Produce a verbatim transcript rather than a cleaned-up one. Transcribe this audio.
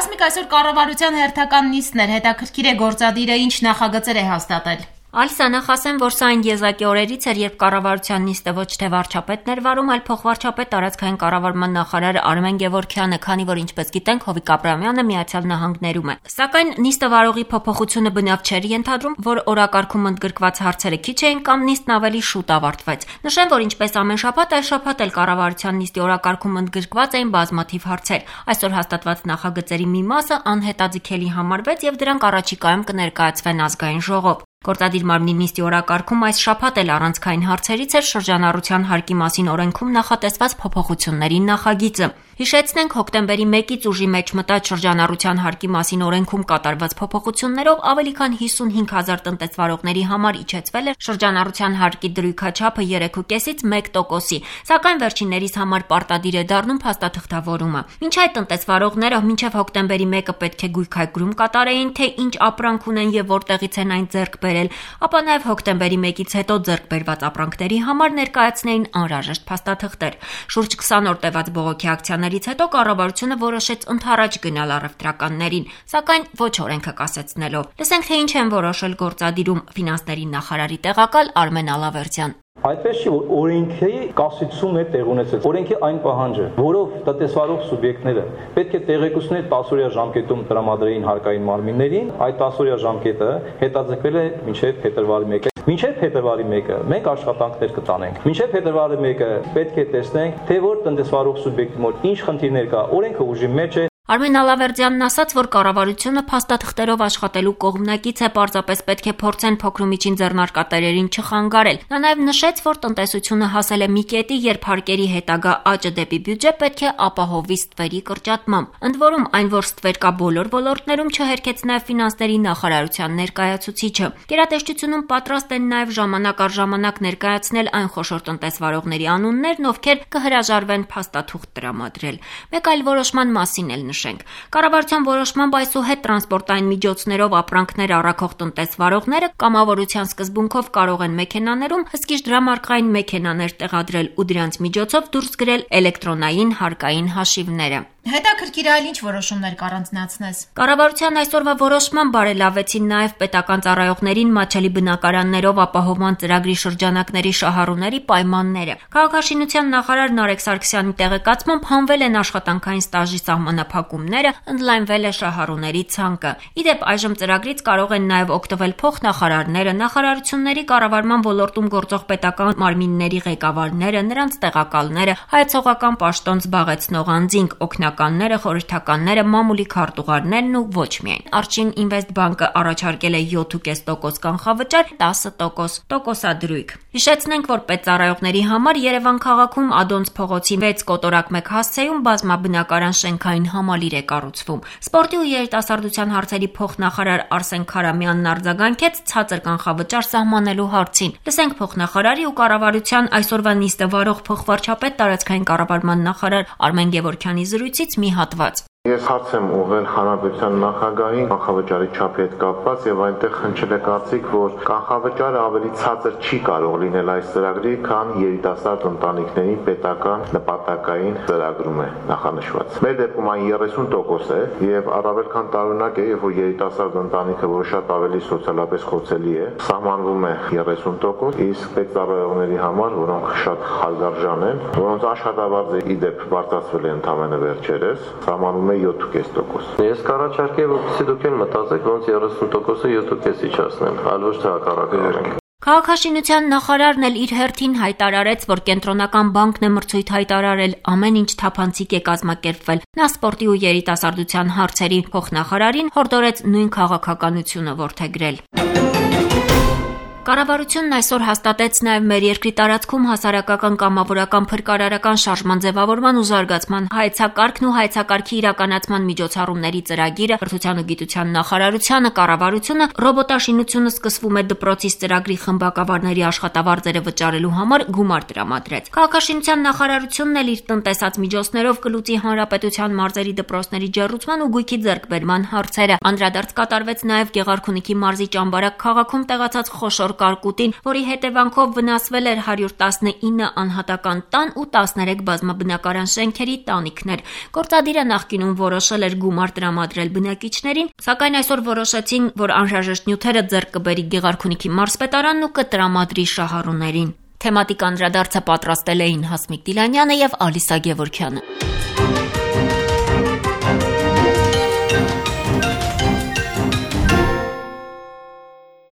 Հասմիկ, այսօր կառավարության հերթական նիստն էր, հետաքրքիր է գործադիրը ինչ նախագծեր է հաստատել։ Ալիսա, նախ ասեմ, որ սա այն եզակի օրերից էր, երբ կառավարության նիստը ոչ թե վարչապետն էր վարում, այլ փոխվարչապետ տարածքային կառավարման նախարար Արմեն Գևորգյանը, քանի որ ինչպես գիտենք, Հովիկ Աբրահամյանը Միացյալ Նահանգներում է։ Սակայն նիստը վարողի փոփոխությունը բնավ չէր ենթադրում, որ օրակարգում ընդգրկված հարցերը քիչ էին կամ նիստն ավելի շուտ ավարտվեց։ Նշեմ, որ ինչպես ամեն շաբաթ, այս շաբաթ էլ կառավարության նիստի օրակարգում ընդգրկված էին բազմաթիվ հարցեր։ Այսօր հաստատված նախագծերի մի մասը անհետաձգելի համարվեց եւ դրանք առաջիկայում կներկայացվեն ազգային ժողով։ Գործադիր մարմնի նիստի օրակարգում այս շաբաթ էլ առանցքային հարցերից էր շրջանառության հարկի մասին օրենքում նախատեսված փոփոխությունների նախագիծը։ Հիշեցնենք, հոկտեմբերի մեկից ուժի մեջ մտած շրջանառության հարկի մասին օրենքում կատարված փոփոխություններով ավելի քան հիսունհինգ հազար տնտեսվարողների համար իջեցվել է շրջանառության հարկի դրույքաչափը երեք կόμma պենսից մեկ տոկոսի, սակայն վերջիններիս համար պարտադիր է դառնում փաստաթղթավորումը։ Մինչ այդ տնտեսվարողները մինչև հոկտեմբերի մեկը պետք է գույքայգրում կատարեին, թե ինչ ապրանք ունեն եւ որտեղից են այն ձեռք բերել, ապա նաեւ հոկտեմբերի մեկից հետո ձեռք բերված ապրանքների համար ներկայացնեին անհրաժեշտ փաստաթղթեր։ Շուրջ քսան օր տևած բողոքի ակցիաներից հետո կառավարությունը որոշեց ընդառաջ գնալ առևտրականներին, սակայն ոչ օրենքը կասեցնելով։ Լսենք, թե ինչ են որոշել գործադիրում ֆինանսների նախարարի տեղակալ Արմեն Ալավերդյան։ Այդպես չի, որ օրենքի կասեցում է տեղ ունեցել։ Օրենքի այն պահանջը, որով տնտեսվարող սուբյեկտները պետք է տեղեկություններ տասօրյա ժամկետում տրամադրեին հարկային մարմիններին, այդ տասօրյա ժամկետը հետաձգվել է մինչև փետրվարի մեկը։ Մինչև փետրվարի մեկը մենք աշխատանքներ կտանենք։ Մինչև փետրվարի մեկը պետք է տեսնենք, թե որ տնտեսվարող սուբյեկտի մոտ ինչ խնդիրներ կա, օրենքը ուժի մեջ է։ Արմեն Ալավերդյանն ասաց, որ կառավարությունը փաստաթղթերով աշխատելու կողմնակից է, պարզապես պետք է փորձեն փոքրումիջին ձեռնարկատերերին չխանգարել։ Նա նաև նշեց, որ տնտեսությունը հասել է մի կետի, երբ հարկերի հետագա աճը դեպի բյուջե պետք է ապահովի ստվերի կրճատմամբ։ Ընդ որում, այն, որ ստվեր կա բոլոր ոլորտներում, չհերքեց նաև ֆինանսների նախարարության ներկայացուցիչը։ Գերատեսչությունում պատրաստ են նաև ժամանակ առ ժամանակ ներկայացնել այն խոշոր տնտեսվարողների անուններն, ովքեր կհրաժարվեն փաստաթուղթ տրամադրել։ Մեկ այլ որոշման մասին էլ նշենք։ Կառավարության որոշմամբ այսուհետ տրանսպորտային միջոցներով ապրանքներ առաքող տնտեսվարողները կամավորության սկզբունքով կարող են մեքենաներում հսկիչ դրամարկղային մեքենաներ տեղադրել ու դրանց միջոցով դուրս գրել էլեկտրոնային հարկային հաշիվները։ Հետաքրքիր այլ ինչ որոշումներ կառանձնացնես։ Կառավարության այսօրվա որոշման բարելավեցին նաև պետական ծառայողներին մատչելի բնակարաններով ապահովման ծրագրի շրջանակների շահառուների պայմանները։ Քաղաքաշինության նախարար Նարեկ Սարգսյանի տեղեկացմամբ հանվել են աշխատանքային ստաժի սահմանափակումները, ընդլայնվել է շահառուների ցանկը։ Իդեպ այժմ ծրագրից կարող են նաև օգտվել փոխնախարարները, նախարարությունների կառավարման ոլորտում գործող պետական մարմինների ղեկավարները, նրանց տեղակալները, հայեցողական պաշտոն զբաղեցնող անձինք, օգնականները, խորհրդականները, մամուլի քարտուղարներն ու ոչ միայն։ Արչին Ինվեստ բանկը առաջարկել է յոթ կόμμα պենս տոկոս կանխավճար, տասը տոկոս տոկոսադրույք։ Հիշեցնենք, որ պետծառայողների համար Երևան քաղաքում Ադոնց փողոցի վեց կոտորակ մեկ հասցեում բազմաբնակարան շենքային համալիր է կառուցվում։ Սպորտի ու երիտասարդության հարցերի փոխնախարար Արսեն Քարամյանն արձագանքեց ցածր կանխավճար սահմանելու հարցին։ Լսենք փոխնախարարի ու կառավարության այսօրվա նիստը վարող փոխվարչապետ տարածքային կառավարման նախարար Արմեն Գևորգյանի զրույցից մի հատված։ Ես հարց եմ ուղղել հանրապետության նախագահին կանխավճարի չափի հետ կապված եւ այնտեղ հնչել է կարծիք, որ կանխավճարը ավելի ցածր չի կարող լինել այս ծրագրի, քան երիտասարդ ընտանիքների պետական նպատակային ծրագրում է նախանշված։ Մեր դեպքում այն երեսուն տոկոս է եւ առավել քան տարօրինակ է, երբ որ երիտասարդ ընտանիքը, որը շատ ավելի սոցիալապես խոցելի է, սահմանվում է երեսուն տոկոս, իսկ պետծառայողների համար, որոնք շատ հարգարժան են, որոնց աշխատավարձը ի դեպ բարձրացվել է ընդամենը վերջերս, սահմանում յոթ կόμμα պենս տոկոս։ Ես կառաջարկեի, որպեսզի դուք էլ մտածեք, ոնց երեսուն տոկոսը յոթ կόμma պենս իջացնեն, այլ ոչ թե հակառակը։ Քաղաքաշինության նախարարն էլ իր հերթին հայտարարեց, որ կենտրոնական բանկն է մրցույթ հայտարարել, ամեն ինչ թափանցիկ է կազմակերպվել։ Նա սպորտի ու երիտասարդության հարցերի փոխնախարարին հորդորեց նույն քաղաքականությունը որդեգրել։ Կառավարությունն այսօր հաստատեց նաև մեր երկրի տարածքում հասարակական կամավորական փրկարարական շարժման ձևավորման ու զարգացման հայեցակարգն ու հայեցակարգի իրականացման միջոցառումների ծրագիրը, Կրթության ու գիտության նախարարությունը, կառավարությունը ռոբոտաշինությունը սկսվում է դպրոցից ծրագրի խմբակավարների աշխատավարձերը վճարելու համար գումար տրամադրեց։ Քաղաքաշինության նախարարությունն էլ իր տնտեսած միջոցներով կլուծի հանրապետության մարզերի դպրոցների ջեռուցման ու գույքի ձեռքբերման հարցերը։ Անդրադարձ կատարվեց նաև Գեղարքունիքի մարզի Ճամբարակ քաղաքում տեղացած խոշոր չոր կարկուտին, որի հետևանքով վնասվել էր հարյուր տասնինը անհատական տան ու տասներեք բազմաբնակարան շենքերի տանիքներ։ Գործադիրը նախկինում որոշել էր գումար տրամադրել բնակիչներին, սակայն այսօր որոշեցին, որ անհրաժեշտ նյութերը ձեռք կբերի Գեղարքունիքի մարզպետարանն ու կտրամադրի շահառուներին։ Թեմատիկ անդրադարձը պատրաստել էին Հասմիկ Դիլանյանը եւ Ալիսա Գևորգյանը։